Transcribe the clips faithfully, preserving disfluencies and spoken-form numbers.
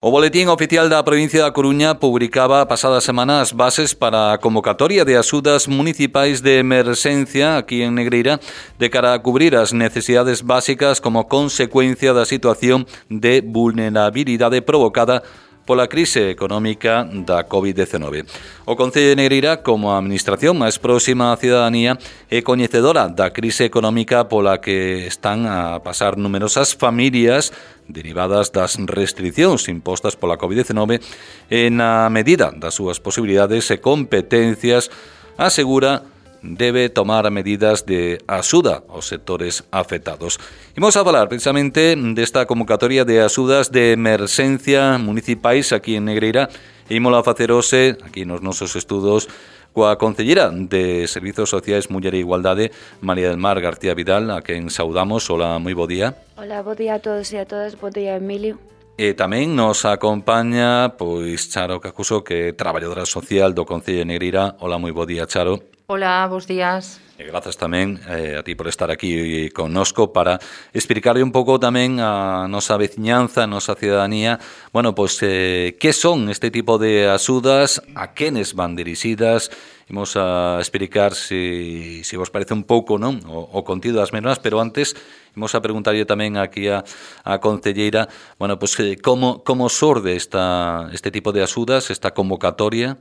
O Boletín Oficial da provincia da Coruña publicaba a pasada semana as bases para a convocatoria de axudas municipais de emerxencia aquí en Negreira de cara a cubrir as necesidades básicas como consecuencia da situación de vulnerabilidade provocada pola crise económica da covid diecinueve. O Concello de Negreira, como a administración máis próxima á cidadanía, é coñecedora da crise económica pola que están a pasar numerosas familias derivadas das restriccións impostas pola covid diecinueve e na medida das súas posibilidades e competencias asegura debe tomar medidas de axuda aos sectores afectados. Imos a falar precisamente desta convocatoria de axudas de emerxencia municipais aquí en Negreira e ímola facer hoxe aquí nos nosos estudos coa concellera de Servizos Sociais, Muller e Igualdade, María del Mar García Vidal, a quen saudamos. Hola, moi bo día. Hola, bo día a todos e a todas, bo día, Emilio. E tamén nos acompaña pois Charo Cacuso, que é traballadora social do Concello de Negreira. Hola, moi bo día, Charo. Hola, bos días. E grazas tamén eh, a ti por estar aquí connosco para explicarle un pouco tamén a nosa veciñanza, a nosa cidadanía, bueno, pois eh, que son este tipo de axudas, a quenes van dirixidas. Imos a explicar se si, si vos parece un pouco, non, o, o contido das mesmas, pero antes imos a preguntarlle tamén aquí a, a concelleira, bueno, pois eh, como como sorde esta este tipo de axudas, esta convocatoria.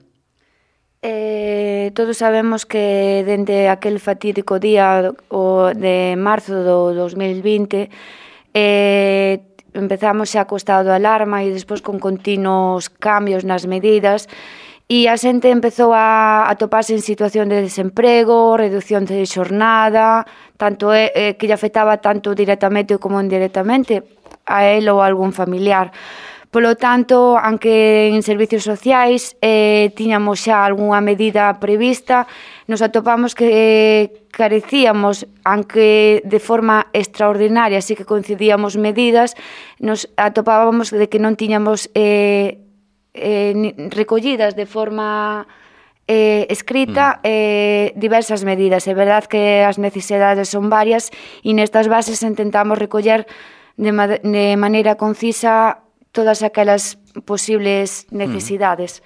Eh, todos sabemos que dende aquel fatídico día o de marzo do dos mil vinte eh, empezamos xa co estado de alarma e despois con continuos cambios nas medidas e a xente empezou a, a toparse en situación de desemprego, reducción de xornada, tanto é, eh, que lle afectaba tanto directamente como indirectamente a él ou a algún familiar. Polo tanto, aunque en servicios sociais eh, tiñamos xa algunha medida prevista, nos atopamos que eh, carecíamos, aunque de forma extraordinaria, así que coincidíamos medidas, nos atopábamos de que non tiñamos eh, eh, recollidas de forma eh, escrita eh, diversas medidas. É verdad que as necesidades son varias e nestas bases intentamos recoller de, ma de maneira concisa todas aquelas posibles necesidades.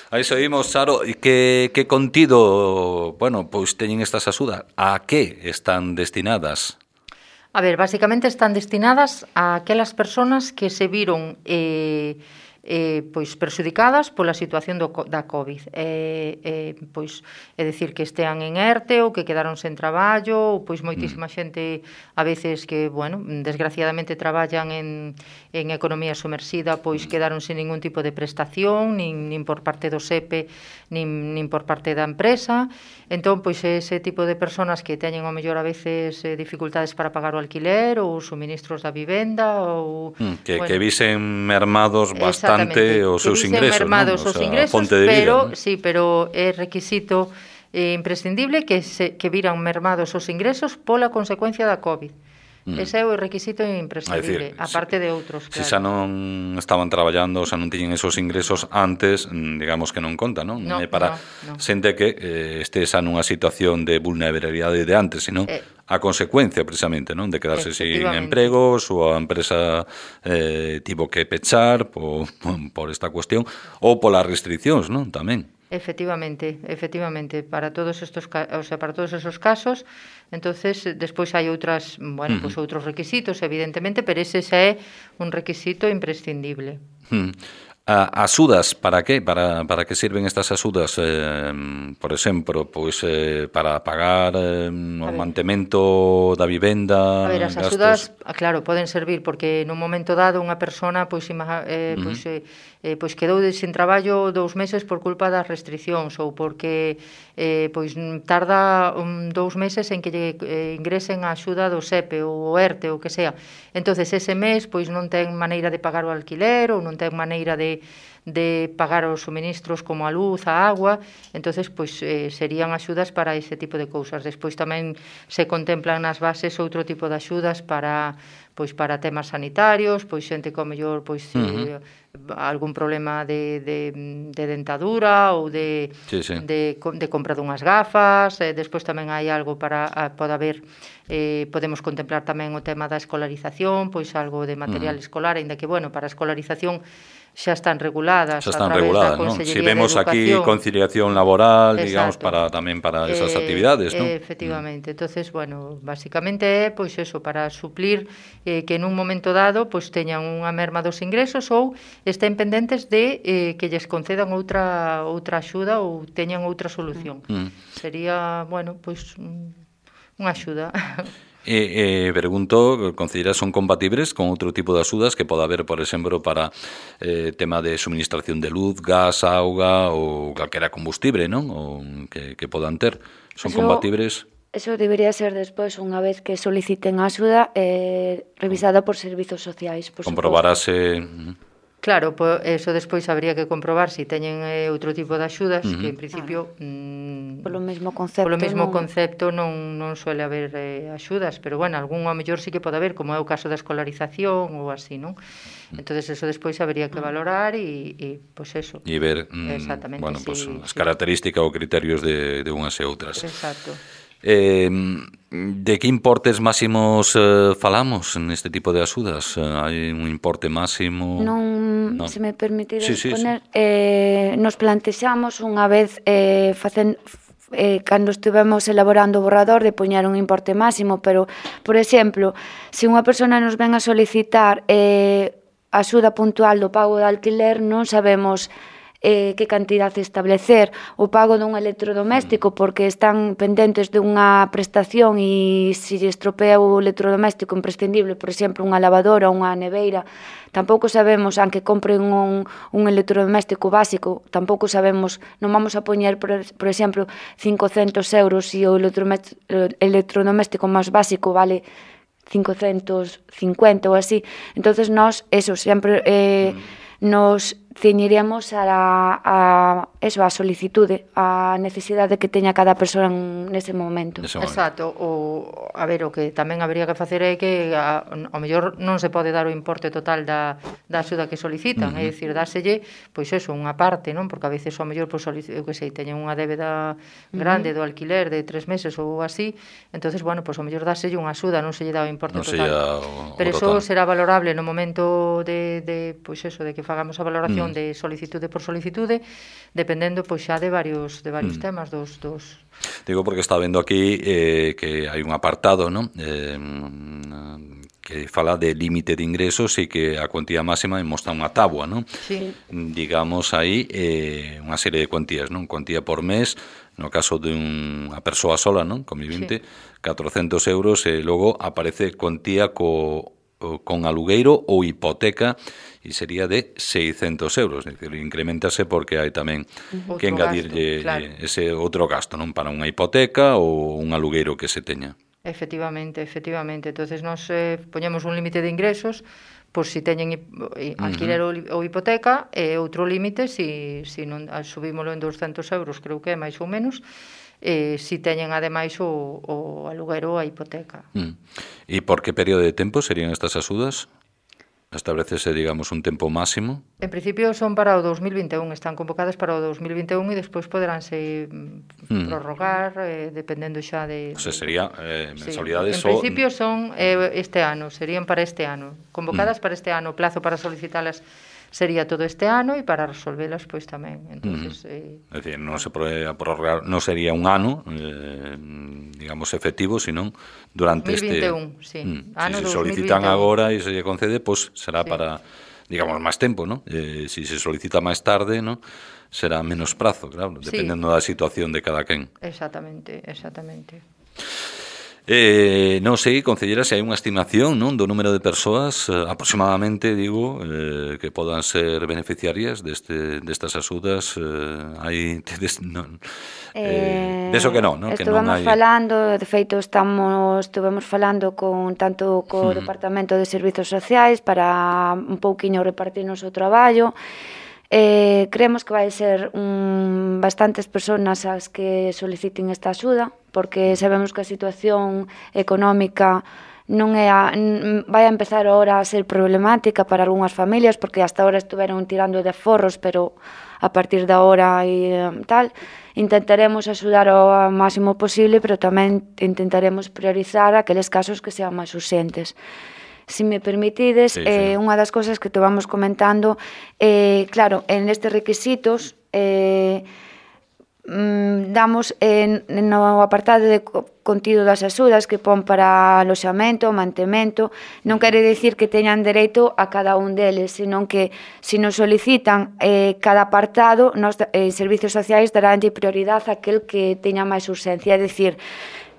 Mm. Aí seguimos, Charo, e que, que contido, bueno, pois teñen estas axudas? A que están destinadas? A ver, basicamente están destinadas a aquelas persoas que se viron eh, eh, pois perxudicadas pola situación do, da COVID. Eh, eh, pois, é dicir, que estean en ERTE ou que quedaron sen traballo, ou pois moitísima xente a veces que, bueno, desgraciadamente traballan en, en economía sumersida, pois quedaron sen ningún tipo de prestación, nin, nin por parte do SEPE, nin, nin por parte da empresa. Entón, pois ese tipo de persoas que teñen ao mellor a veces eh, dificultades para pagar o alquiler ou os suministros da vivenda ou... Mm, que, bueno, que visen mermados bastante os seus ingresos, mermados non? os ingresos, de pero, vida, ¿no? sí, pero é requisito eh, imprescindible que, se, que viran mermados os ingresos pola consecuencia da COVID. Mm. Ese é o requisito imprescindible, decir, aparte de outros, Se claro. xa non estaban traballando, xa non tiñen esos ingresos antes, digamos que non conta, non? Non é para no, no. xente que eh, este xa nunha situación de vulnerabilidade de antes, sino eh, a consecuencia, precisamente, non? De quedarse sin empregos, ou a empresa eh, tivo que pechar por, por esta cuestión, ou polas restriccións, non? Tamén. Efectivamente, efectivamente, para todos estos, o sea, para todos esos casos, entonces despois hai outras, bueno, uh -huh. pues outros requisitos, evidentemente, pero ese xa é un requisito imprescindible. Uh -huh. A, axudas, para que? Para, para que sirven estas axudas? Eh, por exemplo, pois eh, para pagar eh, o mantemento da vivenda. A ver, as axudas, claro, poden servir porque nun momento dado unha persona pois, eh, pois, uh -huh. eh, pois quedou sin traballo dous meses por culpa das restriccións ou porque eh, pois tarda un, dous meses en que lle eh, ingresen a axuda do SEPE ou o ERTE ou que sea. Entonces ese mes pois non ten maneira de pagar o alquiler ou non ten maneira de de pagar os suministros como a luz, a agua, entonces pois eh, serían axudas para ese tipo de cousas. Despois tamén se contemplan nas bases outro tipo de axudas para pois para temas sanitarios, pois xente que ao mellor pois uh -huh. eh, algún problema de, de, de dentadura ou de, sí, sí. de, de compra dunhas gafas, eh, despois tamén hai algo para, a, pode haber, eh, podemos contemplar tamén o tema da escolarización, pois algo de material uh -huh. escolar, ainda que, bueno, para a escolarización xa están reguladas xa están a través reguladas, da Consellería si vemos de aquí Educación. conciliación laboral, Exacto. digamos, para tamén para esas eh, actividades, ¿no? Eh, efectivamente, mm. entonces, bueno, basicamente é, pois eso, para suplir eh, que nun momento dado, pois teñan unha merma dos ingresos ou estén pendentes de eh, que lles concedan outra outra axuda ou teñan outra solución. Mm. Sería, bueno, pois unha axuda. E, eh, pregunto, consideras son compatibles con outro tipo de axudas que poda haber, por exemplo, para eh, tema de suministración de luz, gas, auga ou calquera combustible, non? O que, que podan ter. Son eso, compatibles? Eso debería ser despois, unha vez que soliciten a axuda, eh, revisada por servizos sociais, por comprobarase... suposto. Claro, po, eso despois habría que comprobar se si teñen eh, outro tipo de axudas, uh -huh. que en principio ah, mmm, polo mesmo concepto, polo mesmo non... concepto non, non suele haber eh, axudas, pero bueno, algún ao mellor sí que pode haber, como é o caso da escolarización ou así, non? Entonces eso despois habría que valorar e, e pois eso. E ver, mm, bueno, sí, pues, sí. as características ou criterios de, de unhas e outras. Exacto. Eh, de que importes máximos eh, falamos neste tipo de axudas? Eh, hai un importe máximo? Non, non. Se me permite sí, sí, poner, sí. Eh, nos plantexamos unha vez eh, facen, eh, cando estivemos elaborando o borrador de poñer un importe máximo, pero, por exemplo, se unha persona nos ven a solicitar eh, axuda puntual do pago de alquiler, non sabemos eh, que cantidad establecer, o pago dun electrodoméstico porque están pendentes dunha prestación e se lle estropea o electrodoméstico imprescindible, por exemplo, unha lavadora ou unha neveira, tampouco sabemos, aunque compren un, un electrodoméstico básico, tampouco sabemos, non vamos a poñer, por, por exemplo, cincocentos euros e o electrodoméstico máis básico vale cincocentos cincuenta ou así. Entonces nós, eso, sempre eh, nos ceñiremos a, a, eso, a solicitude, a necesidade que teña cada persoa nese momento. Exacto, o, a ver, o que tamén habría que facer é que a, ao mellor non se pode dar o importe total da, da axuda que solicitan, uh -huh. é dicir, dáselle, pois eso, unha parte, non? Porque a veces ao mellor, pois, eu que sei, teñen unha débeda grande uh -huh. do alquiler de tres meses ou así, entonces, bueno, pois ao mellor dáselle unha axuda, non se lle dá o importe non total. O, o Pero total. eso será valorable no momento de, de pois eso, de que fagamos a valoración uh -huh. de solicitude por solicitude, dependendo pois xa de varios de varios mm. temas dos dos. Digo porque está vendo aquí eh, que hai un apartado, ¿no? Eh, que fala de límite de ingresos e que a cuantía máxima mostra unha tábua, ¿no? Sí. Digamos aí eh, unha serie de cuantías, ¿no? Cuantía por mes, no caso de unha persoa sola, ¿no? Convivente, sí. catrocentos euros e logo aparece cuantía co con alugueiro ou hipoteca e sería de seiscentos euros, é dicir, incrementase porque hai tamén outro que engadirlle gasto, claro. ese outro gasto, non, para unha hipoteca ou un alugueiro que se teña. Efectivamente, efectivamente. Entonces nos eh, poñemos un límite de ingresos por si teñen alquiler uh -huh. ou hipoteca e outro límite si, si non subímolo en doscentos euros, creo que é máis ou menos, eh, si teñen ademais o, o aluguero ou a hipoteca. Mm. E por que período de tempo serían estas axudas? Establecese, digamos, un tempo máximo? En principio son para o dos mil vinte e un, están convocadas para o dos mil vinte e un e despois poderánse mm. prorrogar, eh, dependendo xa de... O sea, sería eh, mensualidades... Sí. En principio son eh, este ano, serían para este ano. Convocadas mm. para este ano, o plazo para solicitalas sería todo este ano e para resolvelas pois tamén. Entonces, uh -huh. eh, é dicir, non se pode prorrogar, non sería un ano, eh, digamos, efectivo, sino durante dos mil vinte e un, este... sí. Mm, ano si se solicitan agora e se lle concede, pois pues, será sí. para, digamos, máis tempo, ¿no? Eh, si se solicita máis tarde, ¿no? Será menos prazo, claro, dependendo sí. da situación de cada quen. Exactamente, exactamente. Eh, non sei, concellera, se hai unha estimación, non, do número de persoas eh, aproximadamente, digo, eh, que podan ser beneficiarias deste, destas axudas. Eh, hai tedes, non, eh, deso que non, non, que non hai... falando, de feito estamos estuvemos falando con tanto co uh-huh. Departamento de Servizos Sociais para un pouquiño repartirnos o traballo. Eh, creemos que vai ser un, bastantes persoas as que soliciten esta axuda, porque sabemos que a situación económica non é a, vai a empezar ahora a ser problemática para algunhas familias, porque hasta ahora estuveron tirando de aforros, pero a partir de ahora e tal, intentaremos axudar ao máximo posible, pero tamén intentaremos priorizar aqueles casos que sean máis urxentes. Si me permitides, sí, eh, sí. unha das cosas que te vamos comentando, eh, claro, en estes requisitos eh, mm, damos en, no apartado de contido das axudas que pon para aloxamento, mantemento, non quere dicir que teñan dereito a cada un deles, senón que se nos solicitan eh, cada apartado, nos eh, servicios sociais daránlle prioridade a aquel que teña máis urxencia, é dicir,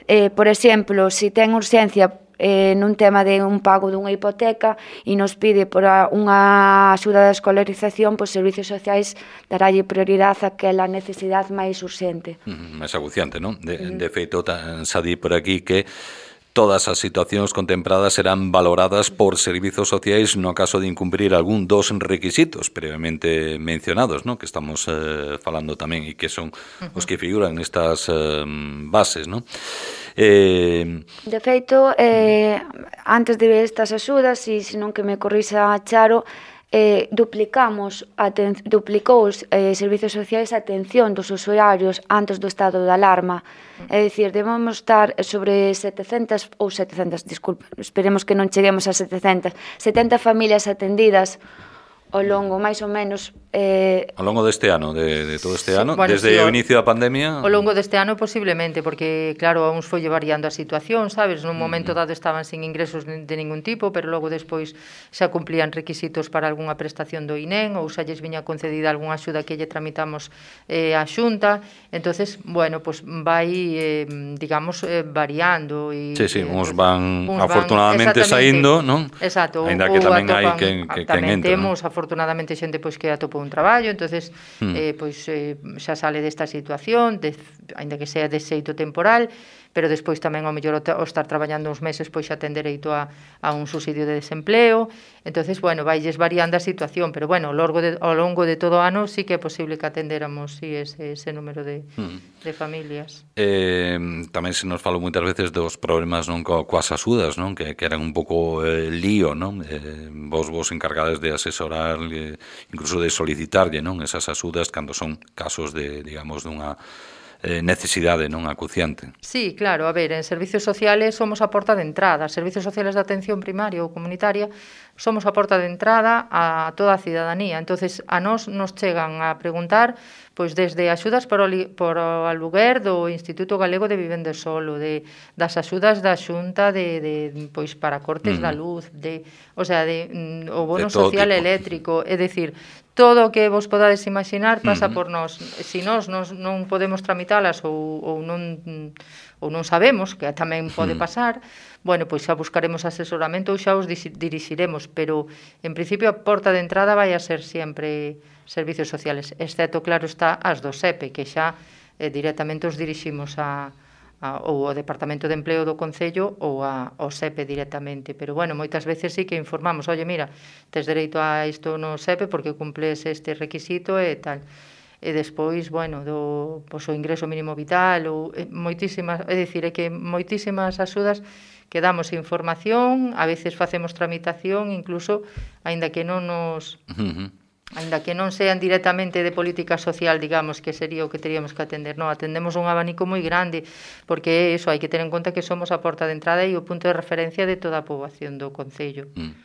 eh, por exemplo, se ten urxencia eh, nun tema de un pago dunha hipoteca e nos pide por a, unha axuda de escolarización, pois servicios sociais darálle prioridade a aquela necesidade máis urxente. Mm, máis aguciante, non? De, uh-huh. de feito, xa di por aquí que todas as situacións contempladas serán valoradas por servizos sociais no caso de incumprir algún dos requisitos previamente mencionados, ¿no? Que estamos eh, falando tamén e que son uh-huh. os que figuran nestas eh, bases, ¿no? Eh... De feito, eh, antes de estas axudas, e senón que me corrixa Charo, eh, duplicamos aten- duplicou os eh, servizos sociais a atención dos usuarios antes do estado de alarma. É dicir, debemos estar sobre setecentas ou setecentas, disculpe, esperemos que non cheguemos a setecentas, setenta familias atendidas ao longo, máis ou menos... Eh... Ao longo deste ano, de, de todo este sí, ano, bueno, desde sí, o inicio da pandemia... Ao longo deste ano posiblemente, porque claro, a uns foi variando a situación, sabes? Nun momento dado estaban sin ingresos de ningún tipo, pero logo despois xa cumplían requisitos para algunha prestación do I N E M ou xa lles viña concedida algunha axuda que lle tramitamos eh, a Xunta. Entonces, bueno, pues vai, eh, digamos, eh, variando. E, sí, sí, eh, uns van uns afortunadamente saindo, non? Exacto. Ainda que tamén hai quen que, tamén entra, temos, non? Afortunadamente, xente pois que atopou un traballo, entonces mm. eh, pois eh, xa sale desta situación, de, aínda que sea de xeito temporal, pero despois tamén ao mellor o estar traballando uns meses pois xa ten dereito a, a un subsidio de desempleo. Entonces, bueno, vailles variando a situación, pero bueno, ao longo de, ao longo de todo o ano sí que é posible que atendéramos sí, ese, ese número de, mm. de familias. Eh, tamén se nos falou moitas veces dos problemas non co, coas axudas, non? Que, que eran un pouco eh, lío, non? Eh, vos vos encargades de asesorar, eh, incluso de solicitarlle, non? Esas axudas cando son casos de, digamos, dunha eh, necesidade non acuciante. Sí, claro, a ver, en servicios sociales somos a porta de entrada, servicios sociales de atención primaria ou comunitaria somos a porta de entrada a toda a cidadanía, entonces a nós nos chegan a preguntar pois desde axudas por o, li, por o aluguer do Instituto Galego de Vivenda Solo, de, das axudas da Xunta de, de, pois para cortes mm. da luz, de, o sea, de, o bono social tipo. Eléctrico, é dicir, todo o que vos podades imaginar pasa uh-huh. por nós. Se nós, nós non podemos tramitalas ou, ou non ou non sabemos, que tamén pode pasar, bueno, pois xa buscaremos asesoramento ou xa os dirixiremos, pero en principio a porta de entrada vai a ser sempre servicios sociales, exceto, claro, está as do S E P E, que xa eh, directamente os diriximos a A, ou ao Departamento de Empleo do Concello ou a, ao S E P E directamente, pero bueno, moitas veces sí que informamos, oye, mira, tes dereito a isto no S E P E porque cumples este requisito e tal, e despois, bueno, do, pois, o ingreso mínimo vital ou eh, moitísimas, é dicir, é que moitísimas axudas que damos información, a veces facemos tramitación, incluso, aínda que non nos... Uh-huh. Ainda que non sean directamente de política social, digamos, que sería o que teríamos que atender. No, atendemos un abanico moi grande, porque eso, hai que ter en conta que somos a porta de entrada e o punto de referencia de toda a poboación do Concello. Mm.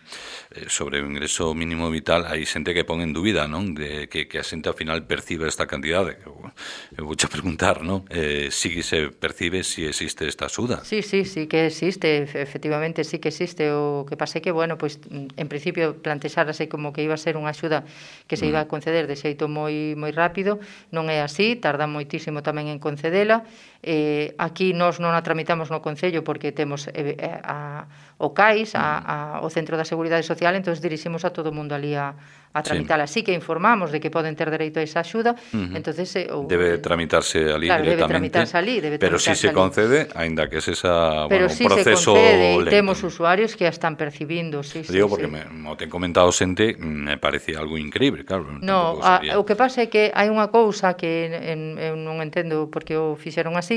Eh, sobre o ingreso mínimo vital, hai xente que pon en dúbida, non? De que, que a xente ao final percibe esta cantidade. Eu, eu vou te preguntar, non? Eh, si se percibe si existe esta axuda. Sí, sí, sí que existe, efectivamente sí que existe. O que pase que, bueno, pues, en principio plantexarase como que iba a ser unha axuda que se iba a conceder de xeito moi moi rápido, non é así, tarda moitísimo tamén en concedela. Eh, aquí nós non a tramitamos no Concello porque temos eh, a, o CAIS, a, a, o Centro da Seguridade Social, entón diriximos a todo o mundo ali a, a tramitala. Sí. sí que informamos de que poden ter dereito a esa axuda, uh-huh. entonces eh, o, debe tramitarse ali claro, directamente. Debe tramitarse ali, debe pero si sí se ali. concede, aínda que es esa, pero bueno, sí un proceso se concede, lento. Temos usuarios que a están percibindo, sí, Digo, sí, porque sí. me, me ten comentado xente, me parece algo increíble, claro. No, a, o que pasa é que hai unha cousa que en, eu non entendo porque o fixeron así.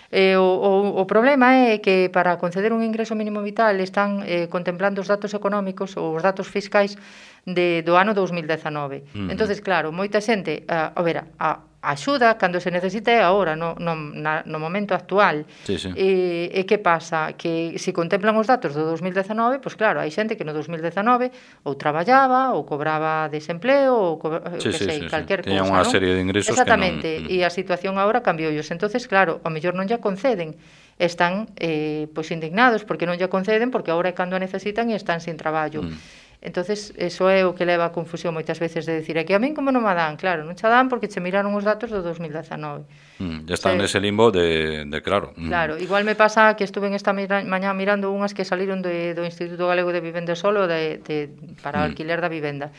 Eh, o, o, o problema é que para conceder un ingreso mínimo vital están eh, contemplando os datos económicos ou os datos fiscais de, do ano dous mil dezanove. Uh-huh. Entonces, claro, moita xente, a, a ver, a, a axuda cando se necesita é agora, no, no, na, no momento actual. Sí, sí. E, e que pasa? Que se contemplan os datos do dos mil dezanove, pois claro, hai xente que no dos mil dezanove ou traballaba, ou cobraba desempleo, ou cobra, sí, que sí, sei, sí, calquer sí. cousa, Teña unha non? serie de ingresos exactamente, que non... e a situación agora cambioulle. Entonces, claro, ao mellor non lle conceden, están eh, pois indignados porque non lle conceden, porque agora é cando a necesitan e están sin traballo. Mm. Entonces, eso é o que leva a confusión moitas veces de decir, é que a min como non me dan, claro, non che dan porque che miraron os datos do dos mil dezanove. Mm, ya están nese limbo de, de claro. Mm. Claro, igual me pasa que estuve en esta mira, mañá mirando unhas que saliron de, do Instituto Galego de Vivenda Solo de, de, para mm. alquiler da vivenda.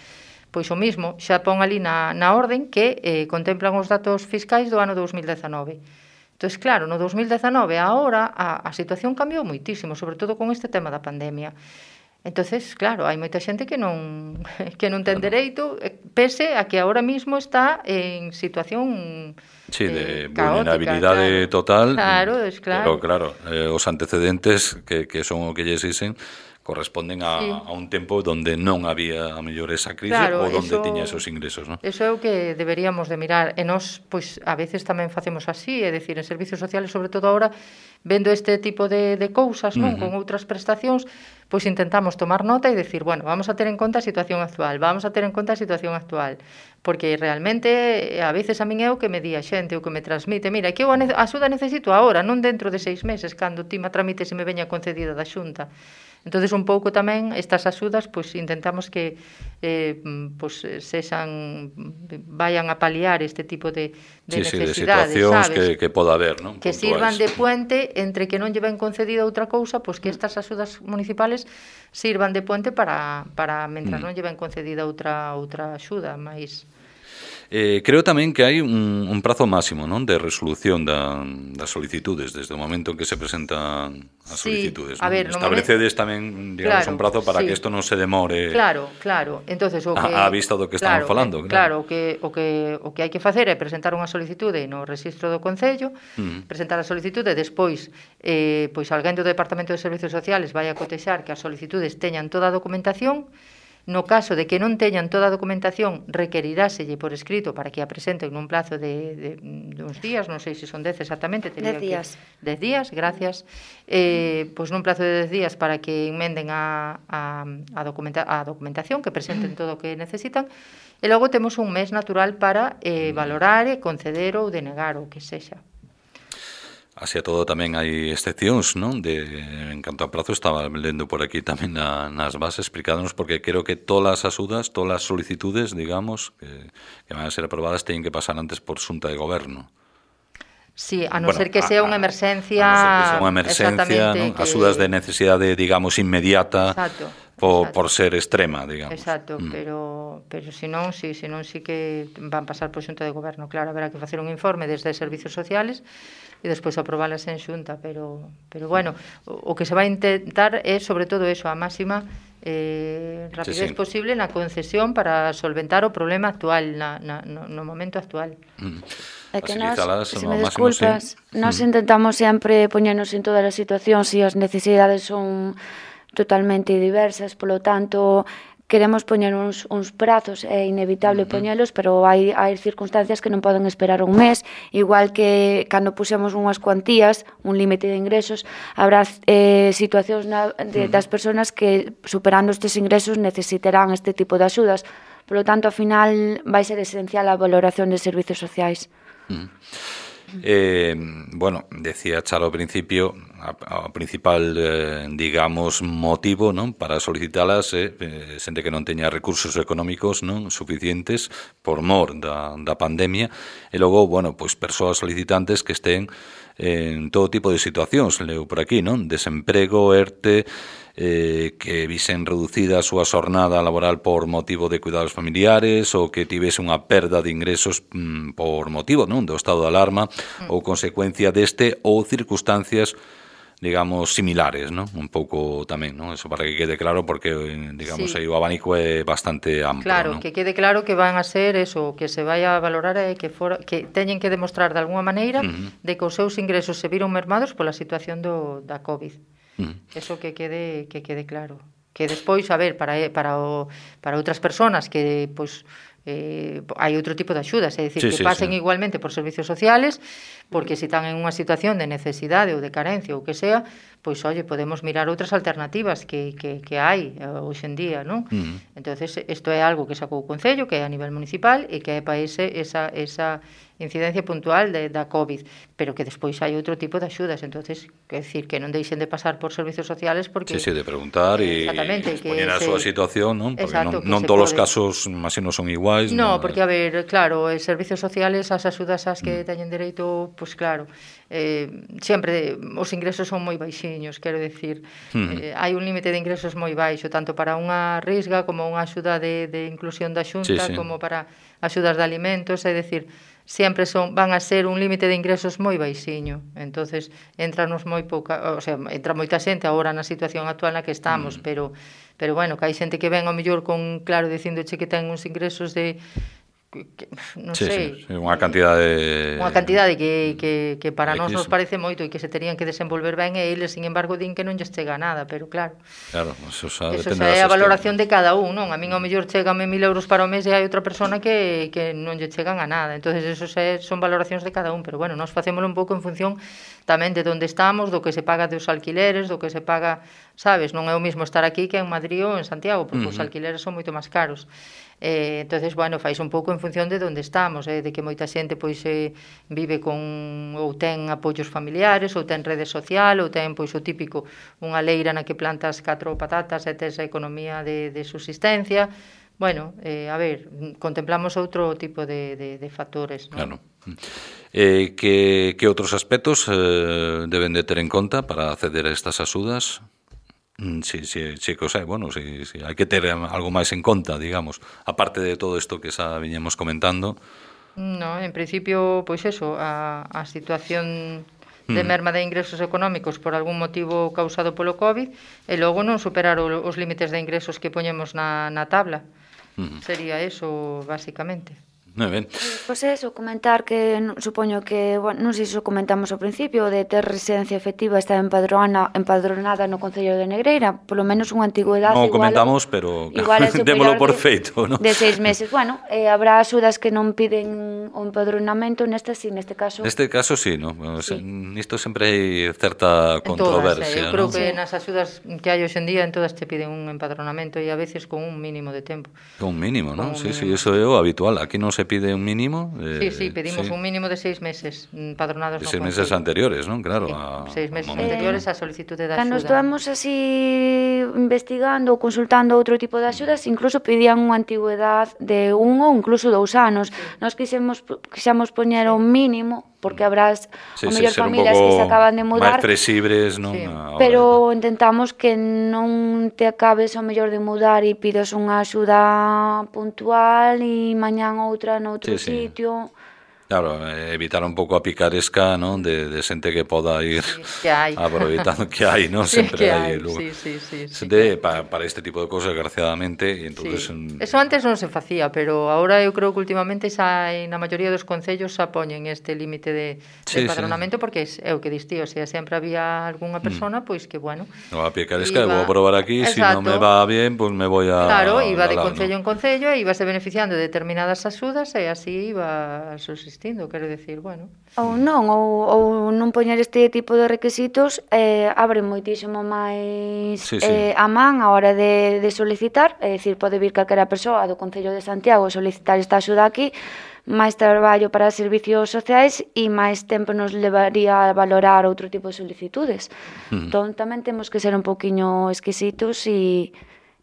Pois o mismo, xa pon ali na, na orden que eh, contemplan os datos fiscais do ano dos mil dezanove. Entón, claro, no dos mil dezanove, agora, a, a situación cambiou moitísimo, sobre todo con este tema da pandemia. Entonces, claro, hai moita xente que non que non ten dereito, pese a que agora mismo está en situación sí, de eh, caótica, vulnerabilidade claro. total. Claro, es claro. Pero claro, eh, os antecedentes que, que son o que lles dicen corresponden a, sí. a un tempo donde non había a mellor esa crise claro, ou donde eso, tiña esos ingresos, ¿no? Eso é o que deberíamos de mirar. E nós, pois, a veces tamén facemos así, é dicir, en servicios sociales, sobre todo agora, vendo este tipo de, de cousas, non, uh -huh. con outras prestacións, pois intentamos tomar nota e decir, bueno, vamos a ter en conta a situación actual, vamos a ter en conta a situación actual, porque realmente a veces a min é o que me di a xente, o que me transmite, mira, que eu a axuda necesito agora, non dentro de seis meses, cando ti me tramites e me veña concedida da Xunta. Entonces un pouco tamén estas axudas pois intentamos que eh, pois sexan vayan a paliar este tipo de, de sí, necesidades, sí, de situacións sabes? que, que poda haber, ¿no? Que sirvan de puente entre que non lle ven concedida outra cousa, pois que estas axudas municipales sirvan de puente para, para mentras mm. non lle ven concedida outra outra axuda, máis Eh, creo tamén que hai un, un prazo máximo, non, de resolución da, das solicitudes desde o momento en que se presentan as sí, solicitudes, a ver, non? Establecedes tamén, digamos, claro, un prazo para sí. que isto non se demore. Claro, claro. Entonces o que a, a vista do que claro, estamos falando, claro. Claro, o que o que o que hai que facer é presentar unha solicitude no Rexistro do Concello, mm. presentar a solicitude, despois eh pois alguén do Departamento de Servicios Sociales vai a cotexar que as solicitudes teñan toda a documentación. No caso de que non teñan toda a documentación, requeriráselle por escrito para que a presenten nun plazo de, de, de uns días, non sei se son dez exactamente. Dez días. Dez días, gracias. Eh, pois nun plazo de dez días para que enmenden a, a, a, documenta, a documentación, que presenten todo o que necesitan, e logo temos un mes natural para eh, valorar e conceder ou denegar o que sexa. Así a todo tamén hai excepcións, non? De, en canto a prazo, estaba lendo por aquí tamén na, nas bases explicándonos, porque creo que todas as axudas, todas as solicitudes, digamos, que, que van a ser aprobadas, teñen que pasar antes por Xunta de Goberno. Sí, a non bueno, ser que sea unha emerxencia... A non ser que sea unha emerxencia, non? Que... Axudas de necesidade, digamos, inmediata. Exacto. Por, por ser extrema, digamos. Exacto, mm. pero pero se non, si, se non si que van pasar por Xunta de Goberno, claro, haberá que facer un informe desde Servicios Sociales e despois aprobalas en Xunta, pero pero bueno, o, o que se vai intentar é sobre todo eso, a máxima eh, rapidez sí, sí. posible na concesión para solventar o problema actual na, na, no, no momento actual. Mm. É que nos, se me desculpas, sí. nos mm. intentamos sempre poñernos en todas as situacións e as necesidades son totalmente diversas, polo tanto queremos poñer uns, uns prazos, é inevitable uh -huh. poñelos, pero hai, hai circunstancias que non poden esperar un mes, igual que cando pusemos unhas cuantías, un límite de ingresos, habrá eh, situacións na, de, uh -huh. das persoas que superando estes ingresos necesitarán este tipo de axudas, polo tanto, ao final vai ser esencial a valoración de servicios sociais. Uh -huh. Eh, bueno, decía Charo ao principio, o principal, eh, digamos, motivo, non, para solicitalas é eh, xente que non teña recursos económicos, non, suficientes por mor da, da pandemia, e logo, bueno, pois persoas solicitantes que estén en todo tipo de situacións, leo por aquí, non, desemprego, ERTE, eh, que visen reducida a súa xornada laboral por motivo de cuidados familiares ou que tivese unha perda de ingresos mm, por motivo, non, do estado de alarma mm. ou consecuencia deste ou circunstancias digamos similares, non? Un pouco tamén, non? Eso para que quede claro porque digamos sí. aí o abanico é bastante amplo, claro, non? Que quede claro que van a ser eso, que se vai a valorar e que for, que teñen que demostrar de alguma maneira uh -huh. de que os seus ingresos se viron mermados pola situación do da COVID. Mm. Eso que quede que quede claro. Que despois, a ver, para para o para outras persoas que pois eh, hai outro tipo de axudas, é dicir, sí, que sí, pasen sí. igualmente por servicios sociales, porque se están en unha situación de necesidade ou de carencia ou que sea, pois, oye, podemos mirar outras alternativas que, que, que hai hoxe en día, non? Uh-huh. Entonces, isto é algo que sacou o Concello, que é a nivel municipal, e que é para ese, esa, esa incidencia puntual de, da COVID, pero que despois hai outro tipo de axudas, entonces, quer decir, que non deixen de pasar por servicios sociales porque... Sí, sí, de preguntar e expoñer a súa situación, non? Porque exacto, non, non todos os casos, imagino, son iguais. No, non, porque, a ver, claro, os servicios sociales, as axudas as que mm. teñen dereito, pois pues, claro, eh, sempre os ingresos son moi baixiños, quero decir, mm. eh, hai un límite de ingresos moi baixo, tanto para unha risga como unha axuda de, de inclusión da xunta, sí, sí. como para axudas de alimentos, é dicir, sempre son van a ser un límite de ingresos moi baixiño. Entonces, entranos moi pouca, o sea, entra moita xente agora na situación actual na que estamos, mm. pero pero bueno, que hai xente que ven ao mellor con claro dicíndoche que ten uns ingresos de que, non sí, sei, sí, sí, unha cantidade unha cantidade que, que, que para nós nos X. parece moito e que se terían que desenvolver ben e eles, sin embargo, din que non lles chega nada, pero claro, claro, eso xa eso xa é a valoración de cada un, non? A min ao mellor chegame mil euros para o mes e hai outra persona que, que non lle chegan a nada, entonces eso xa son valoracións de cada un, pero bueno, nós facémolo un pouco en función tamén de onde estamos, do que se paga dos alquileres, do que se paga, sabes, non é o mismo estar aquí que en Madrid ou en Santiago, porque uh-huh. os alquileres son moito máis caros. Eh, entonces, bueno, fais un pouco en función de onde estamos, eh, de que moita xente pois eh, vive con ou ten apoios familiares, ou ten rede social, ou ten pois o típico unha leira na que plantas catro patatas e tes a economía de, de subsistencia. Bueno, eh, a ver, contemplamos outro tipo de, de, de factores, ¿no? Claro. Eh, que, que outros aspectos eh, deben de ter en conta para acceder a estas axudas? Sí, sí, sí, que o sea, bueno, sí, sí, hai que ter algo máis en conta, digamos, aparte de todo isto que xa viñemos comentando. No, en principio, pois eso, a, a situación de merma de ingresos económicos por algún motivo causado polo COVID e logo non superar o, os límites de ingresos que poñemos na, na tabla. Uh-huh. Sería eso, basicamente. Moi ben. Pois eso, comentar que supoño que, bueno, non sei se o comentamos ao principio, de ter residencia efectiva está empadronada, empadronada no Concello de Negreira, polo menos unha antigüedade non igual. Non comentamos, pero igual démolo por feito, ¿no? De seis meses. Bueno, eh, habrá axudas que non piden o empadronamento, neste sí, neste caso. Neste caso sí, ¿no? Sí. Nisto sempre hai certa controversia, todas, eh, eu creo ¿no? que nas axudas que hai hoxe en día en todas te piden un empadronamento e a veces con un mínimo de tempo. Con un mínimo, ¿no? Con un sí, mínimo. sí, eso é o habitual. Aquí non se pide un mínimo. Sí, Eh, sí, pedimos sí. un mínimo de seis meses empadronados no Seis meses anteriores, ¿no? Claro. Sí, a, seis meses a anteriores a solicitude da axuda. Cando estamos así investigando ou consultando outro tipo de axudas, incluso pedían unha antigüedade de un ou incluso dous anos. Sí. Nós quixemos, quixemos poñer un mínimo, porque habrá sí, o mellor sí, familias que se acaban de mudar. máis flexibles, non? Sí. Pero intentamos que non te acabes o mellor de mudar e pides unha axuda puntual e mañán outra noutro sí, sitio. Sí. Claro, evitar un pouco a picaresca, non? De, de xente que poda ir sí, que hai. aproveitando que hai, non? Sí, Sempre hai, hai lugar. sí, sí, sí, sí, de, sí. para, para este tipo de cosas, desgraciadamente, e entonces... Sí. Eso antes non se facía, pero agora eu creo que últimamente xa na maioría dos concellos xa poñen este límite de, sí, de empadronamento, sí. Porque é o que dis ti, o sea, sempre había algunha persona, mm. pois que, bueno... No, a picaresca, iba... vou probar aquí, se si non me va bien, pois pues me voy a... Claro, iba de lado, concello ¿no? en concello e ibase beneficiando de determinadas axudas e así iba subsistindo, quero decir, bueno... Ou non, ou, ou non poñer este tipo de requisitos eh, abre moitísimo máis sí, sí. Eh, a man a hora de, de solicitar, é dicir, pode vir calquera persoa do Concello de Santiago solicitar esta axuda aquí, máis traballo para servicios sociais e máis tempo nos levaría a valorar outro tipo de solicitudes. Uh-huh. Entón tamén temos que ser un poquinho exquisitos e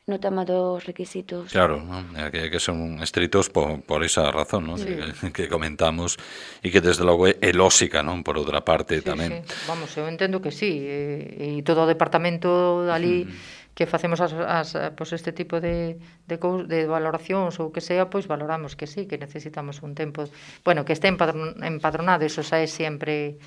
no tema dos requisitos. Claro, ¿no? que, que son estritos por, por esa razón, ¿no? Sí. que, que comentamos e que desde logo é, é lógica, ¿no? Por outra parte sí, tamén. Sí. Vamos, eu entendo que sí, e, e todo o departamento ali mm. que facemos as, as, pues este tipo de, de, de valoracións ou que sea, pois valoramos que sí, que necesitamos un tempo, bueno, que este empadronado, eso xa é sempre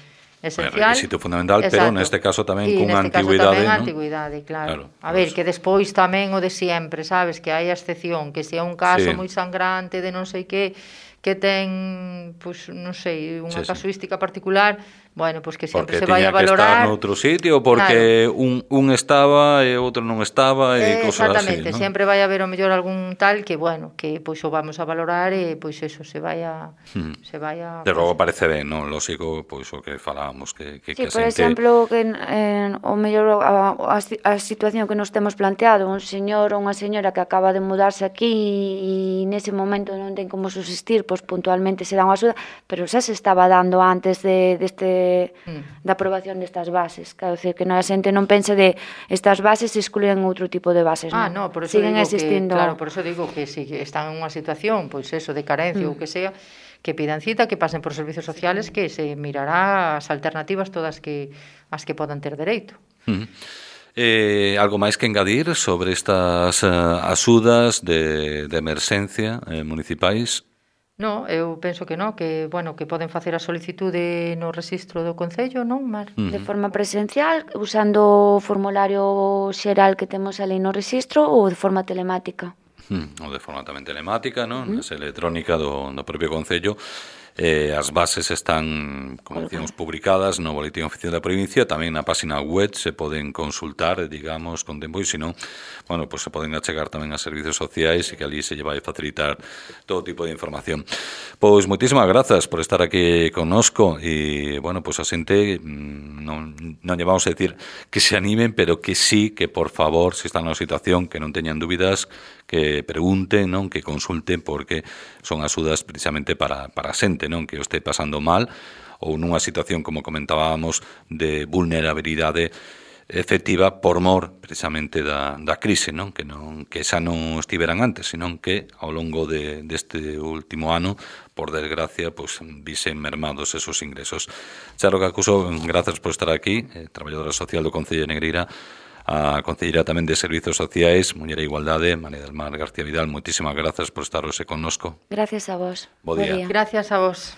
esencial. É requisito fundamental, exacto. Pero neste caso tamén e cunha antigüidade, tamén ¿no? antigüidade, claro. claro A ver, que despois tamén o de sempre, sabes, que hai a excepción, que se é un caso sí. moi sangrante de non sei que, que ten, pois, non sei, unha sí, casuística sí. particular, bueno, pois que sempre porque se vai a valorar. Porque tiña que estar noutro sitio, porque claro. un, un estaba e outro non estaba e eh, cosas así, exactamente, ¿no? sempre vai a haber o mellor algún tal que, bueno, que pois o vamos a valorar e pois eso, se vai a... Hmm. Se vai a... De logo parece ben, non? Lógico, pois o que falábamos, que, que, sí, que por xente... exemplo, que eh, o mellor a, a, a situación que nos temos planteado, un señor ou unha señora que acaba de mudarse aquí e nese momento non ten como subsistir, pois puntualmente se dá unha axuda, pero xa se estaba dando antes de deste mm. da aprobación destas bases. Quero dicir que non a xente non pense de estas bases se excluen outro tipo de bases, ah, non? no, por eso siguen digo existindo. Que, claro, por eso digo que si están en unha situación, pois eso, de carencia mm. ou que sea, que pidan cita, que pasen por servicios sociales, que se mirará as alternativas todas que as que podan ter dereito. Mm. Eh, algo máis que engadir sobre estas uh, axudas de, de emerxencia eh, municipais? No, eu penso que non, que, bueno, que poden facer a solicitude no rexistro do Concello, non, Mar? Uh-huh. De forma presencial, usando o formulario xeral que temos ali no rexistro ou de forma telemática? Uh-huh. Ou de forma tamén telemática, non? Uh-huh. Esa electrónica do, do propio Concello. Eh, as bases están, como decíamos, publicadas no Boletín Oficial da Provincia, tamén na página web se poden consultar, digamos, con tempo, e se non, bueno, pues se poden achegar tamén a servicios sociais e que ali se lle vai facilitar todo tipo de información. Pois moitísimas grazas por estar aquí connosco e, bueno, pues a xente non, non lle vamos a decir que se animen, pero que sí, que por favor, se están na situación, que non teñan dúbidas, que pregunten, non, que consulten, porque son axudas precisamente para, para a xente, non, que o este pasando mal ou nunha situación, como comentábamos, de vulnerabilidade efectiva por mor precisamente da, da crise, non, que non que xa non estiveran antes, senón que ao longo de, deste último ano, por desgracia, pois visen mermados esos ingresos. Charo Cacuso, grazas por estar aquí, eh, traballadora social do Concello de Negreira, a Concelleira tamén de Servizos Sociais, Muller e Igualdade, María del Mar García Vidal, moitísimas grazas por estar hoxe connosco. Gracias a vos. Bo día. Gracias a vos.